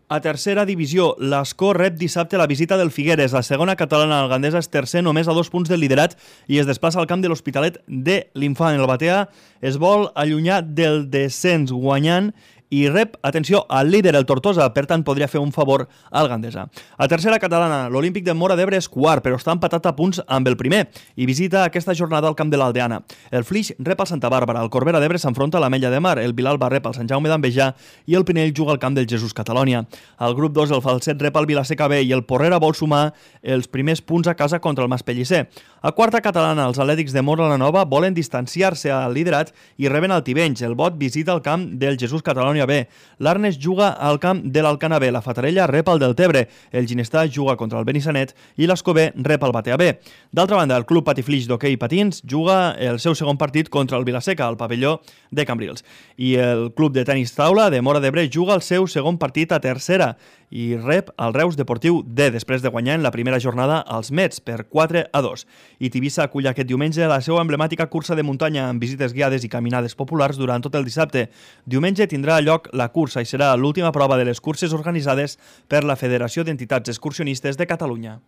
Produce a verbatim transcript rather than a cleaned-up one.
A tercera divisió, l'Escó rep dissabte la visita del Figueres. La segona catalana al Gandesa és tercer només a dos punts del liderat i es desplaça al camp de l'Hospitalet de l'Infant. El Batea es vol allunyar del descens guanyant i rep, atenció, al líder, el Tortosa, per tant podria fer un favor al Gandesa. A tercera catalana, l'Olímpic de Móra d'Ebre és quart, però està empatat a punts amb el primer i visita aquesta jornada al camp de l'Aldeana. El Flix rep al Santa Bàrbara, el Corbera d'Ebre s'enfronta a l'Ametlla de Mar, el Vilalba rep al Sant Jaume d'Envejà i el Pinell juga al camp del Jesús Catalònia. Al grup dos, el Falset rep al Vilaseca B i el Porrera vol sumar els primers punts a casa contra el Maspellisser. A quarta catalana, els Atlètics de Móra la Nova volen distanciar-se al liderat i reben el Tivenys. El Bot visita el camp del Jesús Catalònia B. L'Arnes juga al camp de l'Alcana B. La Fatarella rep el Deltebre. El Ginestà juga contra el Benissanet i l'Escobé rep el Batea B. D'altra banda, el Club Patiflix d'hoquei patins juga el seu segon partit contra el Vilaseca, al pavelló de Cambrils. I el Club de Tenis Taula de Móra d'Ebre juga el seu segon partit a tercera i rep el Reus Deportiu D, després de guanyar en la primera jornada als Mets per quatre a dos. I Tivissa acull aquest diumenge la seva emblemàtica cursa de muntanya amb visites guiades i caminades populars durant tot el dissabte. Diumenge tindrà lloc la cursa i serà l'última prova de les curses organitzades per la Federació d'Entitats Excursionistes de Catalunya.